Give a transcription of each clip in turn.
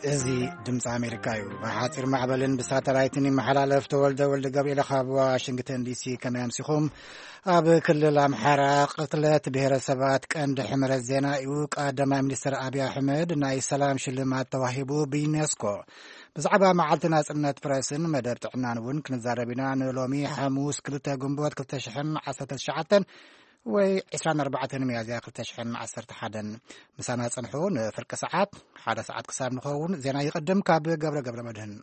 እዚ ድምፂ ኣሜሪካ እዩ። ብሓፂር ማዕበልን ብሳተላይትን ይመሓላለፍ። ተወልደ ወልደ ገብርኤል ካብ ዋሽንግተን ዲሲ። ከመይ ኣምሲኹም? ኣብ ክልል ኣምሓራ ቅትለት ብሄረሰባት ቀንዲ ሕመረት ዜና እዩ። ቀዳማይ ሚኒስትር ኣብይ ኣሕመድ ናይ ሰላም ሽልማት ተዋሂቡ ብዩኔስኮ። ብዛዕባ መዓልቲ ናጽነት ፕረስን መደብ ጥዕናን እውን ክንዛረብ ኢና። ንሎሚ ሓሙስ ክልተ ግንቦት ክልተ ሽሕን ዓሰርተ ትሽዓተን ወይ ዕስራን ኣርባዕተን ሚያዝያ ክልተ ሽሕን ዓሰርተ ሓደን ምሳና ጽንሑ። ንፍርቂ ሰዓት፣ ሓደ ሰዓት ክሳብ ንኸውን ዜና ይቕድም። ካብ ገብረ ገብረ መድህን።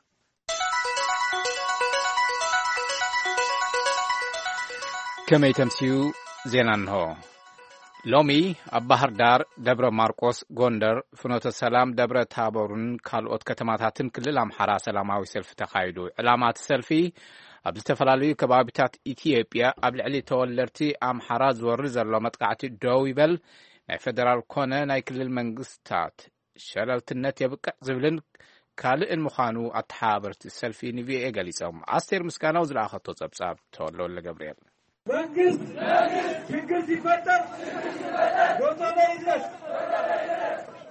ከመይ ተምስዩ? ዜና እንሆ። ሎሚ ኣብ ባህር ዳር፣ ደብረ ማርቆስ፣ ጎንደር፣ ፍኖተ ሰላም፣ ደብረ ታቦርን ካልኦት ከተማታትን ክልል ኣምሓራ ሰላማዊ ሰልፊ ተኻይዱ። ዕላማ እቲ ሰልፊ፣ ኣብ ዝተፈላለዩ ከባቢታት ኢትዮጵያ ኣብ ልዕሊ ተወለድቲ ኣምሓራ ዝወርድ ዘሎ መጥቃዕቲ ደው ይበል፣ ናይ ፌደራል ኮነ ናይ ክልል መንግስታት ሸለልትነት የብቅዕ ዝብልን ካልእን ምዃኑ ኣተሓባበርቲ ሰልፊ ንቪኦኤ ገሊጾም። ኣስቴር ምስጋናው ዝለኣኸቶ ጸብጻብ። ተወልደ ወልደ ገብርኤል። መንግስት ችግር ሲፈጠር ቶሎ ይድረስ።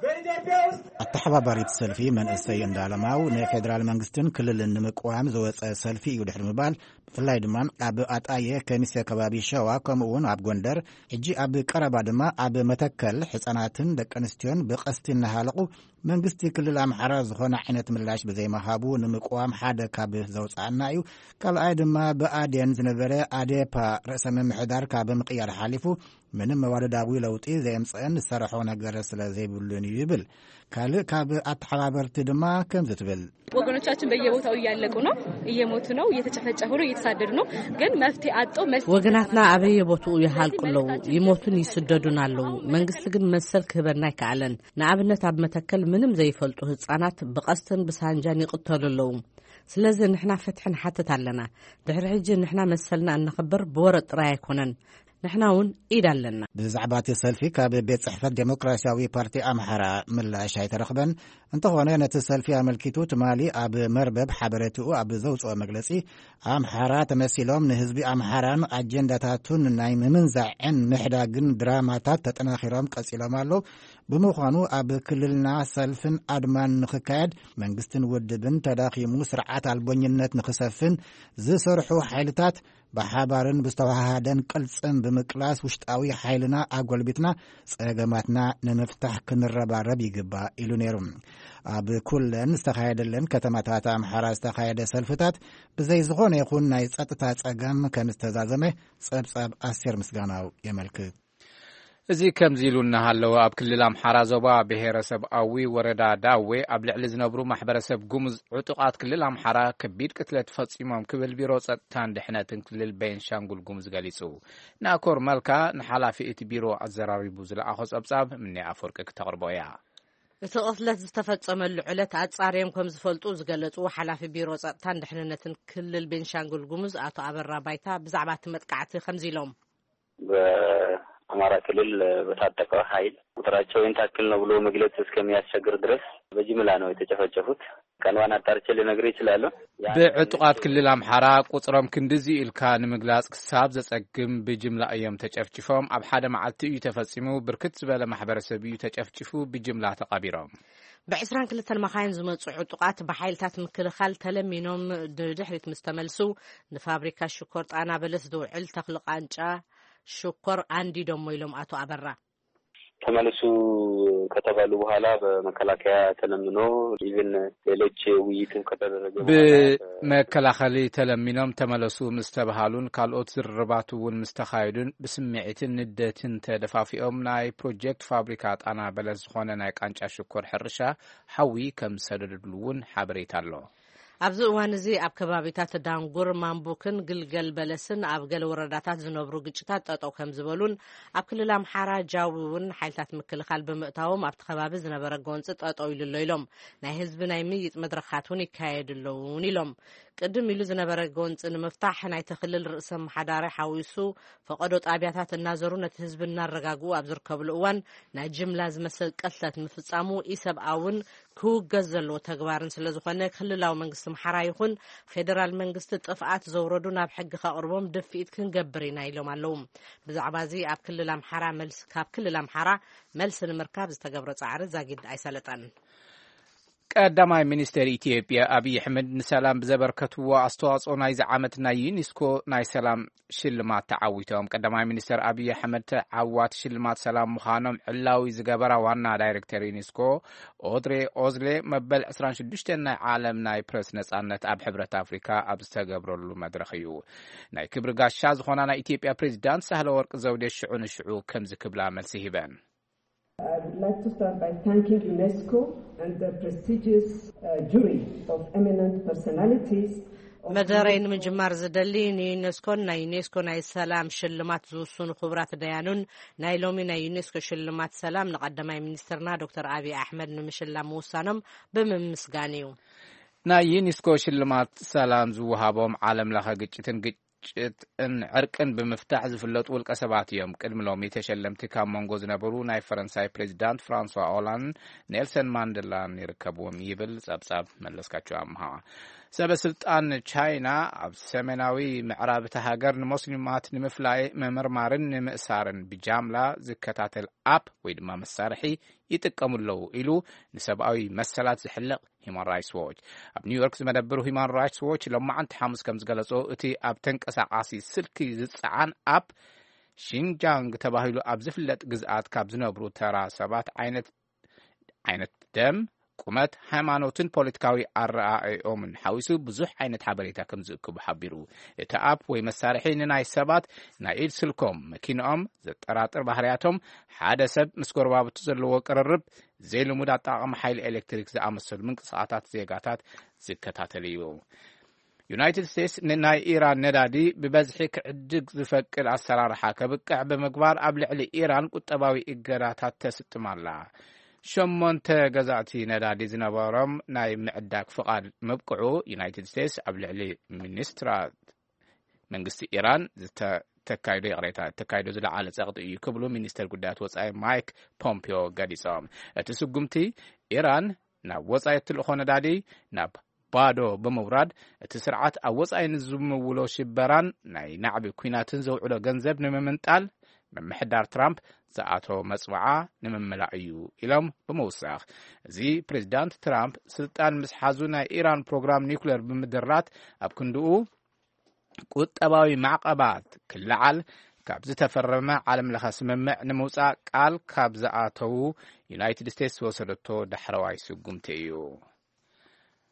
በኢትዮጵያ ውስጥ ኣተሓባባሪት ሰልፊ መንእሰይ እንዳለማው፣ ንፌዴራል መንግስትን ክልልን ንምቅዋም ዝወጸ ሰልፊ እዩ ድሕሪ ምባል፣ ብፍላይ ድማ ኣብ ኣጣየ፣ ከሚሴ ከባቢ ሸዋ፣ ከምኡ እውን ኣብ ጎንደር፣ ሕጂ ኣብ ቀረባ ድማ ኣብ መተከል፣ ህጻናትን ደቂ ኣንስትዮን ብቐስቲ እናሃለቑ፣ መንግስቲ ክልል ኣምሓራ ዝኾነ ዓይነት ምላሽ ብዘይምሃቡ ንምቅዋም ሓደ ካብ ዘውፅኣና እዩ። ካልኣይ ድማ ብኣዴን ዝነበረ ኣዴፓ ርእሰ ምምሕዳር ካብ ምቕያር ሓሊፉ ምንም መዋደዳዊ ለውጢ ዘየምፀአን ዝሰርሖ ነገር ስለ ዘይብሉን እዩ ይብል። ካልእ ካብ ኣተሓባበርቲ ድማ ከምዚ ትብል። ወገኖቻችን በየቦታው እያለቁ ነው፣ እየሞቱ ነው፣ እየተጨፈጨፉ ነው፣ እየተሳደዱ ነው። ግን መፍትሄ አጥቶ መልስ ወገናትና ኣበየ ቦትኡ ይሃልቁ ኣለዉ፣ ይሞቱን ይስደዱን ኣለዉ። መንግስቲ ግን መሰል ክህበና ኣይከኣለን። ንኣብነት ኣብ መተከል ምንም ዘይፈልጡ ህጻናት ብቐስትን ብሳንጃን ይቕተሉ ኣለዉ። ስለዚ ንሕና ፍትሒ ንሓትት ኣለና። ድሕሪ ሕጂ ንሕና መሰልና እነኽብር ብወረ ጥራይ ኣይኮነን። ንሕና እውን ኢድ ኣለና። ብዛዕባ እቲ ሰልፊ ካብ ቤት ጽሕፈት ዴሞክራሲያዊ ፓርቲ ኣምሓራ ምላሽ ኣይተረኽበን። እንተኾነ ነቲ ሰልፊ ኣመልኪቱ ትማሊ ኣብ መርበብ ሓበሬትኡ ኣብ ዘውፅኦ መግለጺ፣ ኣምሓራ ተመሲሎም ንህዝቢ ኣምሓራን ኣጀንዳታቱን ናይ ምምንዛዕን ምሕዳግን ድራማታት ተጠናኺሮም ቀጺሎም ኣለዉ። ብምዃኑ ኣብ ክልልና ሰልፍን ኣድማን ንኽካየድ መንግስትን ውድብን ተዳኺሙ ስርዓት ኣልቦኝነት ንኽሰፍን ዝሰርሑ ሓይልታት ብሓባርን ብዝተዋሃሃደን ቅልጽም ብምቅላስ ውሽጣዊ ሓይልና ኣጎልቢትና ጸገማትና ንምፍታሕ ክንረባረብ ይግባእ ኢሉ ነይሩ። ኣብ ኩለን ዝተኻየደለን ከተማታት ኣምሓራ ዝተኻየደ ሰልፍታት ብዘይ ዝኾነ ይኹን ናይ ጸጥታ ጸገም ከም ዝተዛዘመ ጸብጻብ ኣስቴር ምስጋናው የመልክት። እዚ ከምዚ ኢሉ እናሃለወ፣ ኣብ ክልል ኣምሓራ ዞባ ብሄረሰብ ኣዊ ወረዳ ዳዌ ኣብ ልዕሊ ዝነብሩ ማሕበረሰብ ጉሙዝ ዕጡቓት ክልል ኣምሓራ ከቢድ ቅትለት ፈጺሞም ክብል ቢሮ ጸጥታን ድሕነትን ክልል ቤንሻንጉል ጉሙዝ ገሊጹ። ናኮር መልካ ንሓላፊ እቲ ቢሮ ኣዘራሪቡ ዝለኣኾ ጸብጻብ ምኔ ኣፈወርቂ ክተቕርቦ እያ። እቲ ቅትለት ዝተፈጸመሉ ዕለት ኣጻርዮም ከም ዝፈልጡ ዝገለጹ ሓላፊ ቢሮ ጸጥታን ድሕንነትን ክልል ቤንሻንጉል ጉሙዝ ኣቶ ኣበራ ባይታ ብዛዕባ እቲ መጥቃዕቲ ከምዚ ኢሎም። በአማራ ክልል በታጠቀው ኃይል ቁጥራቸው ይህን ታክል ነው ብሎ መግለጽ እስከሚያስቸግር ድረስ በጅምላ ነው የተጨፈጨፉት። ቀንዋን አጣርቼ ልነግርህ እችላለሁ። ብዕጡቓት ክልል ኣምሓራ ቁጽሮም ክንድዚ ኢልካ ንምግላጽ ክሳብ ዘጸግም ብጅምላ እዮም ተጨፍጭፎም። ኣብ ሓደ መዓልቲ እዩ ተፈጺሙ። ብርክት ዝበለ ማሕበረሰብ እዩ ተጨፍጭፉ ብጅምላ ተቐቢሮም። ብ22 መኻይን ዝመጹ ዕጡቓት ብሓይልታት ምክልኻል ተለሚኖም ድድሕሪት ምስ ተመልሱ፣ ንፋብሪካ ሽኮር ጣና በለስ ዝውዕል ተኽሊ ቃንጫ ሽኮር ኣንዲዶሞ ኢሎም ኣቶ ኣበራ። ተመለሱ ከተባሉ በኋላ በመከላከያ ተለምኖ ኢቭን ሌሎች ውይይትም ከተደረገ በኋላ ብመከላኸሊ ተለሚኖም ተመለሱ ምስ ተባሃሉን ካልኦት ዝርርባት እውን ምስ ተኻየዱን ብስምዒትን ንደትን ተደፋፊኦም ናይ ፕሮጀክት ፋብሪካ ጣና በለስ ዝኾነ ናይ ቃንጫ ሽኮር ሕርሻ ሓዊ ከም ዝሰደድሉ እውን ሓበሬታ ኣሎ። ኣብዚ እዋን እዚ ኣብ ከባቢታት ዳንጉር፣ ማንቡክን ግልገል በለስን ኣብ ገለ ወረዳታት ዝነብሩ ግጭታት ጠጠው ከም ዝበሉን ኣብ ክልል ኣምሓራ ጃዊ እውን ሓይልታት ምክልኻል ብምእታዎም ኣብቲ ከባቢ ዝነበረ ጎንፂ ጠጠው ኢሉ ኣሎ ኢሎም። ናይ ህዝቢ ናይ ምይይጥ መድረኻት እውን ይካየዱ ኣለውን ኢሎም። ቅድም ኢሉ ዝነበረ ጎንፂ ንምፍታሕ ናይቲ ክልል ርእሰ ኣመሓዳሪ ሓዊሱ ፈቐዶ ጣብያታት እናዘሩ ነቲ ህዝቢ እናረጋግኡ ኣብ ዝርከብሉ እዋን ናይ ጅምላ ዝመስል ቅትለት ምፍፃሙ ኢሰብኣውን ክውገዝ ዘለዎ ተግባርን ስለ ዝኾነ ክልላዊ መንግስቲ ኣምሓራ ይኹን ፌደራል መንግስቲ ጥፍኣት ዘውረዱ ናብ ሕጊ ከቕርቦም ድፍኢት ክንገብር ኢና ኢሎም ኣለዉ። ብዛዕባ እዚ ኣብ ክልል ኣምሓራ መልስ ካብ ክልል ኣምሓራ መልሲ ንምርካብ ዝተገብረ ፃዕሪ ዛጊድ ኣይሰለጠን። ቀዳማይ ሚኒስተር ኢትዮጵያ ኣብይ ኣሕመድ ንሰላም ብዘበርከትዎ ኣስተዋጽኦ ናይዚ ዓመት ናይ ዩኔስኮ ናይ ሰላም ሽልማት ተዓዊቶም። ቀዳማይ ሚኒስተር ኣብይ ኣሕመድ ተዓዋቲ ሽልማት ሰላም ምዃኖም ዕላዊ ዝገበራ ዋና ዳይሬክተር ዩኔስኮ ኦድሬ ኦዝሌ፣ መበል ዕስራን ሽዱሽተን ናይ ዓለም ናይ ፕረስ ነጻነት ኣብ ሕብረት ኣፍሪካ ኣብ ዝተገብረሉ መድረኽ እዩ። ናይ ክብሪ ጋሻ ዝኾና ናይ ኢትዮጵያ ፕሬዚዳንት ሳህለ ወርቅ ዘውዴ ሽዑ ንሽዑ ከምዚ ክብላ መልሲ ሂበን። I would like to start by thanking UNESCO and the prestigious uh, jury of eminent personalities. መደረይ ንምጅማር ዝደሊ ንዩኔስኮን ናይ ዩኔስኮ ናይ ሰላም ሽልማት ዝውስኑ ክቡራት ደያኑን ናይ ሎሚ ናይ ዩኔስኮ ሽልማት ሰላም ንቀዳማይ ሚኒስትርና ዶክተር ኣብይ ኣሕመድ ንምሽላም ምውሳኖም ብምምስጋን እዩ። ናይ ዩኔስኮ ሽልማት ሰላም ዝወሃቦም ዓለም ለኸ ግጭትን ግጭትን ዕርቅን ብምፍታሕ ዝፍለጡ ውልቀ ሰባት እዮም። ቅድሚ ሎሚ ተሸለምቲ ካብ መንጎ ዝነበሩ ናይ ፈረንሳይ ፕሬዚዳንት ፍራንሷ ኦላንድ፣ ኔልሰን ማንደላን ይርከብዎም ይብል ጸብጻብ መለስካቸው ኣምሃ። ሰበ ስልጣን ቻይና ኣብ ሰሜናዊ ምዕራብ እታ ሃገር ንሞስሊማት ንምፍላይ ምምርማርን ንምእሳርን ብጃምላ ዝከታተል ኣፕ ወይ ድማ መሳርሒ ይጥቀሙ ኣለዉ ኢሉ ንሰብኣዊ መሰላት ዝሕልቕ ሂማን ራይትስ ዎች። ኣብ ኒውዮርክ ዝመደብሩ ሂማን ራይትስ ዎች ሎማዓንቲ ሓሙስ ከም ዝገለጾ፣ እቲ ኣብ ተንቀሳቃሲ ስልኪ ዝጸዓን ኣፕ ሺንጃንግ ተባሂሉ ኣብ ዝፍለጥ ግዝኣት ካብ ዝነብሩ ተራ ሰባት ዓይነት ዓይነት ደም፣ ቁመት፣ ሃይማኖትን ፖለቲካዊ ኣረኣእኦምን ሓዊሱ ብዙሕ ዓይነት ሓበሬታ ከም ዝእክቡ ሓቢሩ። እቲ ኣፕ ወይ መሳርሒ ንናይ ሰባት ናይ ኢድ ስልኮም፣ መኪንኦም፣ ዘጠራጥር ባህርያቶም፣ ሓደ ሰብ ምስ ጎረባብቱ ዘለዎ ቅርርብ፣ ዘይልሙድ ኣጠቓቕማ ሓይሊ ኤሌክትሪክ ዝኣመሰሉ ምንቅስቓሳት ዜጋታት ዝከታተል እዩ። ዩናይትድ ስቴትስ ንናይ ኢራን ነዳዲ ብበዝሒ ክዕድግ ዝፈቅድ ኣሰራርሓ ከብቅዕ ብምግባር ኣብ ልዕሊ ኢራን ቁጠባዊ እገዳታት ተስጥም ኣላ። ሸሞንተ ገዛእቲ ነዳዲ ዝነበሮም ናይ ምዕዳግ ፍቓድ ምብቅዑ ዩናይትድ ስቴትስ ኣብ ልዕሊ ሚኒስትራት መንግስቲ ኢራን ዝተካይዶ ይቕሬታ ተካይዶ ዝለዓለ ጸቕጢ እዩ ክብሉ ሚኒስተር ጉዳያት ወጻኢ ማይክ ፖምፒዮ ገሊጾም። እቲ ስጉምቲ ኢራን ናብ ወጻኢ እትልእኾ ነዳዲ ናብ ባዶ ብምውራድ እቲ ስርዓት ኣብ ወጻኢ ንዝምውሎ ሽበራን ናይ ናዕቢ ኲናትን ዘውዕሎ ገንዘብ ንምምንጣል ምምሕዳር ትራምፕ ዝኣቶ መጽዋዓ ንምምላእ እዩ ኢሎም ብምውሳኽ፣ እዚ ፕሬዚዳንት ትራምፕ ስልጣን ምስ ሓዙ ናይ ኢራን ፕሮግራም ኒውክሌር ብምድራት ኣብ ክንድኡ ቁጠባዊ ማዕቐባት ክለዓል ካብ ዝተፈረመ ዓለም ለኸ ስምምዕ ንምውፃእ ቃል ካብ ዝኣተዉ ዩናይትድ ስቴትስ ዝወሰደቶ ዳሕረዋይ ስጉምቲ እዩ።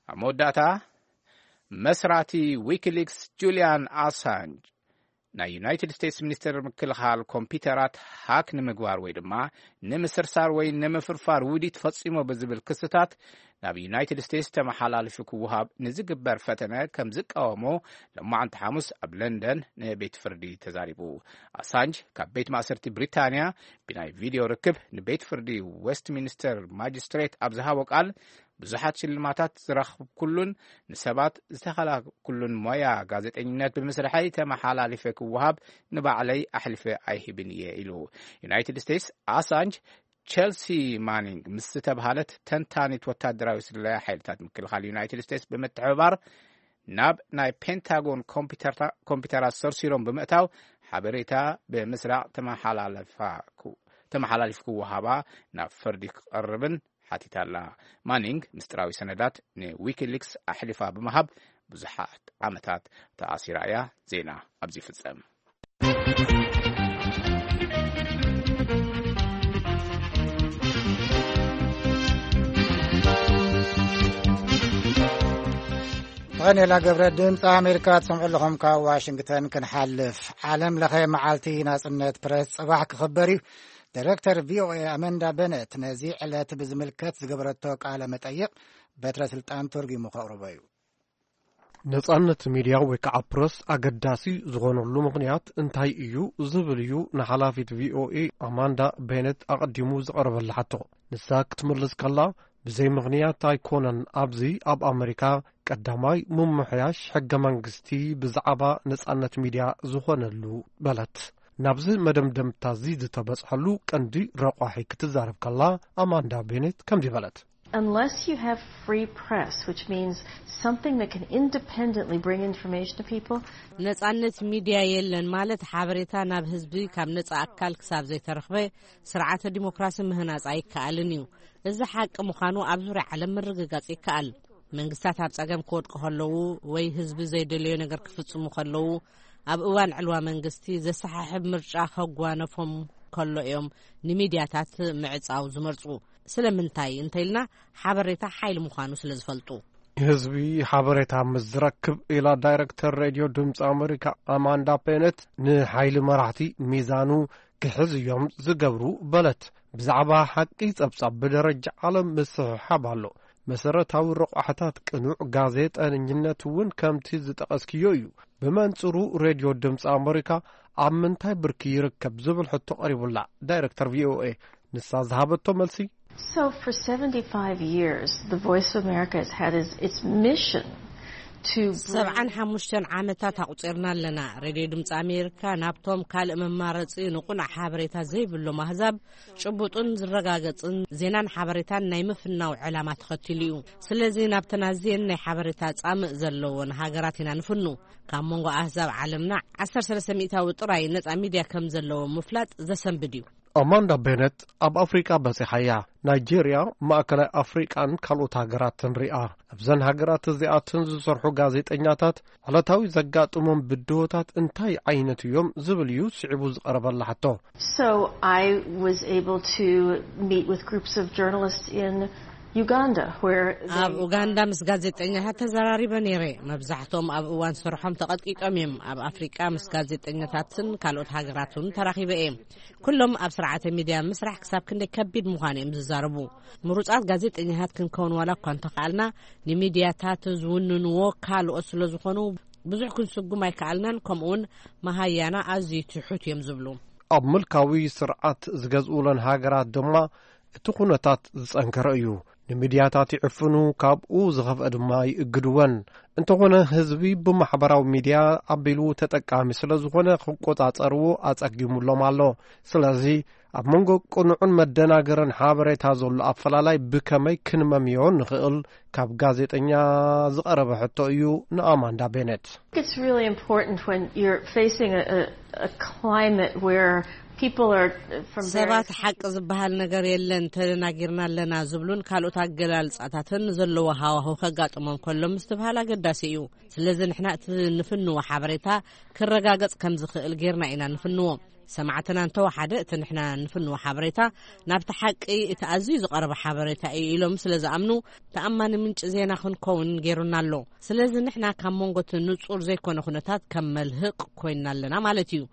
ኣብ መወዳእታ መስራቲ ዊኪሊክስ ጁልያን ኣሳንጅ ናይ ዩናይትድ ስቴትስ ሚኒስትር ምክልኻል ኮምፒውተራት ሃክ ንምግባር ወይ ድማ ንምስርሳር ወይ ንምፍርፋር ውዲት ፈጺሞ ብዝብል ክስታት ናብ ዩናይትድ ስቴትስ ተመሓላልፉ ክወሃብ ንዝግበር ፈተነ ከም ዝቃወሞ ሎማዓንቲ ሓሙስ ኣብ ለንደን ንቤት ፍርዲ ተዛሪቡ። ኣሳንጅ ካብ ቤት ማእሰርቲ ብሪታንያ ብናይ ቪድዮ ርክብ ንቤት ፍርዲ ዌስትሚኒስተር ማጅስትሬት ኣብ ዝሃቦ ቃል ብዙሓት ሽልማታት ዝረኽብኩሉን ንሰባት ዝተኸላኩሉን ሞያ ጋዜጠኝነት ብምስርሐይ ተመሓላልፈ ክወሃብ ንባዕለይ ኣሕልፈ ኣይህብን እየ ኢሉ። ዩናይትድ ስቴትስ ኣሳንጅ ቸልሲ ማኒንግ ምስ ዝተብሃለት ተንታኒት ወታደራዊ ስለያ ሓይልታት ምክልኻል ዩናይትድ ስቴትስ ብምትሕብባር ናብ ናይ ፔንታጎን ኮምፒውተራት ሰርሲሮም ብምእታው ሓበሬታ ብምስራቕ ተመሓላልፍ ክወሃባ ናብ ፍርዲ ክቐርብን ሓቲታ ኣላ። ማኒንግ ምስጢራዊ ሰነዳት ንዊኪሊክስ ኣሕሊፋ ብምሃብ ብዙሓት ዓመታት ተኣሲራ እያ። ዜና ኣብዚ ይፍጸም። ዳንኤላ ገብረ ድምፂ ኣሜሪካ ትሰምዑ ኣለኹም። ካብ ዋሽንግተን ክንሓልፍ፣ ዓለም ለኸ መዓልቲ ናፅነት ፕረስ ፅባሕ ክኽበር እዩ። ዳይሬክተር ቪኦኤ ኣመንዳ በነት ነዚ ዕለት ብዝምልከት ዝገበረቶ ቃለ መጠይቕ በትረ ስልጣን ተርጉሙ ከቕርቦ እዩ። ነጻነት ሚድያ ወይ ከዓ ፕረስ ኣገዳሲ ዝኾነሉ ምኽንያት እንታይ እዩ ዝብል እዩ ንሓላፊት ቪኦኤ ኣማንዳ ቤነት ኣቐዲሙ ዝቐረበላ ሕቶ። ንሳ ክትምልስ ከላ፣ ብዘይ ምኽንያት ኣይኮነን ኣብዚ ኣብ ኣመሪካ ቀዳማይ ምምሕያሽ ሕገ መንግስቲ ብዛዕባ ነጻነት ሚድያ ዝኾነሉ በለት። ናብዚ መደምደምታ እዚ ዝተበጽሐሉ ቀንዲ ረቋሒ ክትዛረብ ከላ ኣማንዳ ቤኔት ከምዚ በለት። Unless you have free press, which means something that can independently bring information to people. ነጻነት ሚድያ የለን ማለት ሓበሬታ ናብ ህዝቢ ካብ ነጻ ኣካል ክሳብ ዘይተረኽበ ስርዓተ ዲሞክራሲ ምህናጽ ኣይከኣልን እዩ። እዚ ሓቂ ምዃኑ ኣብ ዙርያ ዓለም ምርግጋጽ ይከኣል። መንግስታት ኣብ ጸገም ክወድቁ ከለዉ ወይ ህዝቢ ዘይደለዮ ነገር ክፍጽሙ ከለዉ ኣብ እዋን ዕልዋ መንግስቲ ዘሰሓሕብ ምርጫ ከጓነፎም ከሎ እዮም ንሚድያታት ምዕጻው ዝመርጹ። ስለምንታይ እንተኢልና ሓበሬታ ሓይሊ ምዃኑ ስለ ዝፈልጡ። ህዝቢ ሓበሬታ ምስ ዝረክብ ኢላ ዳይረክተር ሬድዮ ድምፂ ኣሜሪካ ኣማንዳ ፔነት ንሓይሊ መራሕቲ ሚዛኑ ክሕዝ እዮም ዝገብሩ በለት። ብዛዕባ ሓቂ ጸብጻብ ብደረጃ ዓለም ምስሕሓብ ኣሎ። መሰረታዊ ረቋሕታት ቅኑዕ ጋዜጠንኝነት እውን ከምቲ ዝጠቐስክዮ እዩ። ብመንጽሩ ሬድዮ ድምፂ ኣሜሪካ ኣብ ምንታይ ብርኪ ይርከብ ዝብል ሕቶ ቀሪቡላ ዳይረክተር ቪኦኤ ንሳ ዝሃበቶ መልሲ So for seventy-five years, the Voice of America has had its, its mission to bring ሰብዓን ሓሙሽተን ዓመታት ኣቑጺርና ኣለና። ሬድዮ ድምፂ ኣሜሪካ ናብቶም ካልእ መማረፂ ንቑናዕ ሓበሬታ ዘይብሎም ኣህዛብ ጭቡጥን ዝረጋገፅን ዜናን ሓበሬታን ናይ ምፍናው ዕላማ ተኸቲሉ እዩ። ስለዚ ናብተን ኣዝየን ናይ ሓበሬታ ፃምእ ዘለዎን ሃገራት ኢና ንፍኑ። ካብ መንጎ ኣህዛብ ዓለምና ዓሰርተ ሰለስተ ሚእታዊ ጥራይ ነፃ ሚድያ ከም ዘለዎ ምፍላጥ ዘሰንብድ እዩ። ኣማንዳ ቤነት ኣብ ኣፍሪቃ በጺሓ እያ። ናይጄርያ፣ ማእከላይ ኣፍሪቃን ካልኦት ሃገራትን ሪኣ። ኣብዘን ሃገራት እዚኣትን ዝሰርሑ ጋዜጠኛታት ዕለታዊ ዘጋጥሞም ብድሆታት እንታይ ዓይነት እዮም ዝብል እዩ ስዒቡ ዝቐረበላ ሕቶ። So I was able to meet with groups of journalists in Uganda, where they ኣብ ኡጋንዳ ምስ ጋዜጠኛታት ተዘራሪበ ነይረ። መብዛሕትኦም ኣብ እዋን ስርሖም ተቐጥቂጦም እዮም። ኣብ ኣፍሪቃ ምስ ጋዜጠኛታትን ካልኦት ሃገራትን ተራኺበ እየ። ኩሎም ኣብ ስርዓተ ሚድያ ምስራሕ ክሳብ ክንደይ ከቢድ ምዃኑ እዮም ዝዛረቡ። ምሩጻት ጋዜጠኛታት ክንከውን ዋላ እኳ እንተኸኣልና፣ ንሚድያታት ዝውንንዎ ካልኦት ስለ ዝኾኑ ብዙሕ ክንስጉም ኣይከኣልናን። ከምኡውን መሃያና ኣዝዩ ትሑት እዮም ዝብሉ። ኣብ ምልካዊ ስርዓት ዝገዝኡለን ሃገራት ድማ እቲ ኩነታት ዝጸንከረ እዩ። ንሚድያታት ይዕፍኑ፣ ካብኡ ዝኸፍአ ድማ ይእግድወን። እንተኾነ ህዝቢ ብማሕበራዊ ሚድያ ኣቢሉ ተጠቃሚ ስለ ዝኾነ ክቆጻጸርዎ ኣጸጊሙሎም ኣሎ። ስለዚ ኣብ መንጎ ቅኑዕን መደናገርን ሓበሬታ ዘሎ ኣፈላላይ ብከመይ ክንመምዮ ንኽእል ካብ ጋዜጠኛ ዝቐረበ ሕቶ እዩ ንኣማንዳ ቤነት። It's really important when you're facing a, a, a climate where people are from ሰባት various ሓቂ ዝበሃል ነገር የለን፣ ተደናጊርና ኣለና ዝብሉን ካልኦት ኣገላልጻታትን ዘለዎ ሃዋሁ ከጋጥሞም ከሎ ምስትብሃል ኣገዳሲ እዩ። ስለዚ ንሕና እቲ ንፍንዎ ሓበሬታ ክረጋገጽ ከም ዝኽእል ጌርና ኢና ንፍንዎ። ሰማዕትና እንተወሓደ እቲ ንሕና ንፍንዎ ሓበሬታ ናብቲ ሓቂ እቲ ኣዝዩ ዝቐረበ ሓበሬታ እዩ ኢሎም ስለ ዝኣምኑ ተኣማኒ ምንጪ ዜና ክንከውን ጌሩና ኣሎ። ስለዚ ንሕና ካብ መንጎ እቲ ንጹር ዘይኮነ ኩነታት ከም መልህቕ ኮይንና ኣለና ማለት እዩ።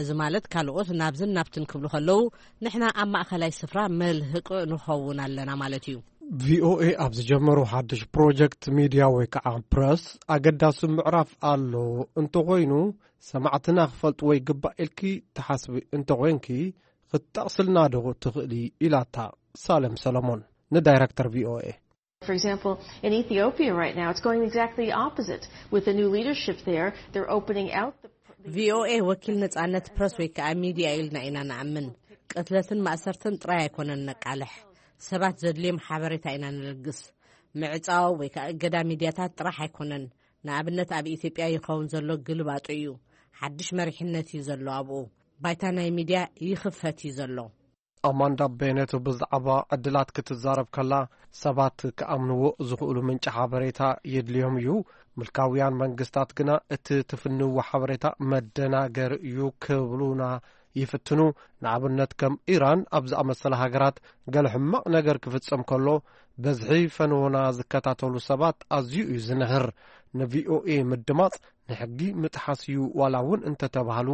እዚ ማለት ካልኦት ናብዝን ናብትን ክብሉ ከለዉ ንሕና ኣብ ማእኸላይ ስፍራ መልህቕ ንኸውን ኣለና ማለት እዩ። ቪኦኤ ኣብ ዝጀመሩ ሓድሽ ፕሮጀክት ሚድያ ወይ ከዓ ፕረስ ኣገዳሲ ምዕራፍ ኣሎ እንተኾይኑ ሰማዕትና ክፈልጥዎ ይግባእ ኢልኪ ትሓስቢ እንተኾይንኪ ክትጠቕስልና ዶ ትኽእሊ? ኢላታ ሳለም ሰለሞን ንዳይረክተር ቪኦኤ። For example, in Ethiopia right now, it's going exactly the opposite. With the new leadership there, they're opening out the ቪኦኤ ወኪል ነጻነት ፕረስ ወይ ከዓ ሚድያ ኢልና ኢና ንኣምን። ቅትለትን ማእሰርትን ጥራይ ኣይኮነን ነቃልሕ፣ ሰባት ዘድልዮም ሓበሬታ ኢና ንልግስ። ምዕጻው ወይ ከዓ እገዳ ሚድያታት ጥራሕ ኣይኮነን። ንኣብነት ኣብ ኢትዮጵያ ይኸውን ዘሎ ግልባጡ እዩ። ሓድሽ መሪሕነት እዩ ዘሎ ኣብኡ። ባይታ ናይ ሚድያ ይኽፈት እዩ ዘሎ። ኣማንዳ ቤነት ብዛዕባ ዕድላት ክትዛረብ ከላ ሰባት ክኣምንዎ ዝኽእሉ ምንጪ ሓበሬታ የድልዮም እዩ። ምልካውያን መንግስታት ግና እቲ ትፍንዎ ሓበሬታ መደናገሪ እዩ ክብሉና ይፍትኑ። ንኣብነት ከም ኢራን ኣብ ዝኣመሰለ ሃገራት ገለ ሕማቕ ነገር ክፍጸም ከሎ በዝሒ ፈነወና ዝከታተሉ ሰባት ኣዝዩ እዩ ዝንህር። ንቪኦኤ ምድማጽ ንሕጊ ምጥሓስ እዩ ዋላ እውን እንተተባህሉ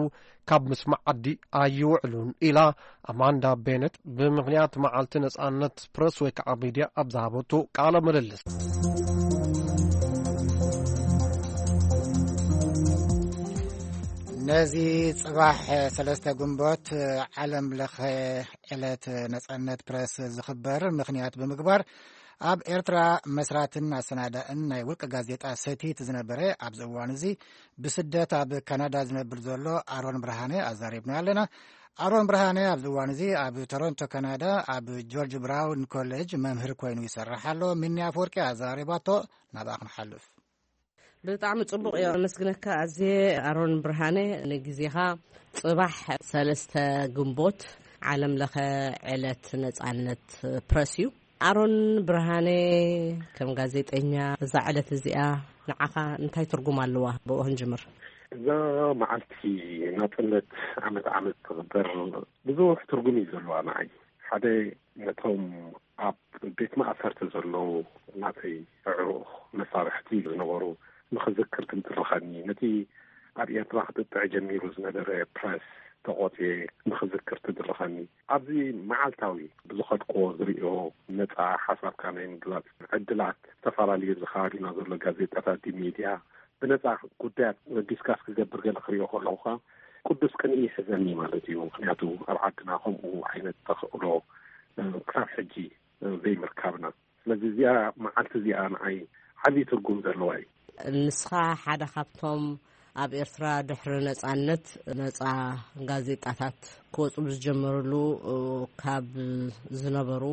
ካብ ምስማዕ ዓዲ ኣይውዕሉን ኢላ ኣማንዳ ቤነት ብምኽንያት መዓልቲ ነጻነት ፕረስ ወይ ከዓ ሚድያ ኣብ ዝሃበቱ ቃለ ምልልስ። ነዚ ጽባሕ ሰለስተ ግንቦት ዓለም ለኸ ዕለት ነጻነት ፕረስ ዝኽበር ምኽንያት ብምግባር ኣብ ኤርትራ መስራትን ኣሰናዳእን ናይ ውልቀ ጋዜጣ ሰቲት ዝነበረ፣ ኣብዚ እዋን እዚ ብስደት ኣብ ካናዳ ዝነብር ዘሎ ኣሮን ብርሃነ ኣዛሪብና ኣለና። ኣሮን ብርሃነ ኣብዚ እዋን እዚ ኣብ ቶሮንቶ ካናዳ ኣብ ጆርጅ ብራውን ኮሌጅ መምህር ኮይኑ ይሰርሕ ኣሎ። ሚኒ ኣፈወርቂ ኣዛሪባቶ፣ ናብኣ ክንሓልፍ። ብጣዕሚ ጽቡቕ እዮ። ኣመስግነካ ኣዜ ኣሮን ብርሃነ ንግዜኻ። ጽባሕ ሰለስተ ግንቦት ዓለም ለኸ ዕለት ነጻነት ፕረስ እዩ። ኣሮን ብርሃነ፣ ከም ጋዜጠኛ፣ እዛ ዕለት እዚኣ ንዓኻ እንታይ ትርጉም ኣለዋ? ብኡ ክንጅምር። እዛ መዓልቲ ናጽነት ዓመት ዓመት ትኽበር ብዙሕ ትርጉም እዩ ዘለዋ ንዓይ። ሓደ፣ ነቶም ኣብ ቤት ማእሰርቲ ዘለዉ ናተይ ኣዕሩኽ መሳርሕቲ ዝነበሩ ንኽዝክር ትድርኸኒ፣ ነቲ ኣብ ኤርትራ ክጥጥዕ ጀሚሩ ዝነበረ ፕረስ ተቖጽየ ንኽዝክር ትድርኸኒ። ኣብዚ መዓልታዊ ብዝኸድክዎ ዝርእዮ ነጻ ሓሳብካ ናይ ምግላጽ ዕድላት፣ ዝተፈላለዩ ኣብዚ ከባቢና ዘሎ ጋዜጣታት፣ ሚድያ፣ ብነጻ ጉዳያት ዲስካስ ክገብር ገለ ክርእዮ ከለኹ ከኣ ቅዱስ ቅንኢ ይሕዘኒ ማለት እዩ። ምኽንያቱ ኣብ ዓድና ከምኡ ዓይነት ተኽእሎ፣ እ፣ ክሳብ ሕጂ፣ እ፣ ዘይምርካብና። ስለዚ እዚኣ መዓልቲ እዚኣ ንዓይ ዓብዪ ትርጉም ዘለዋ እዩ። ንስኻ ሓደ ካብቶም ኣብ ኤርትራ ድሕሪ ነጻነት ነጻ ጋዜጣታት ክወጹ ብዝጀመሩሉ፣ እ፣ ካብ ዝነበሩ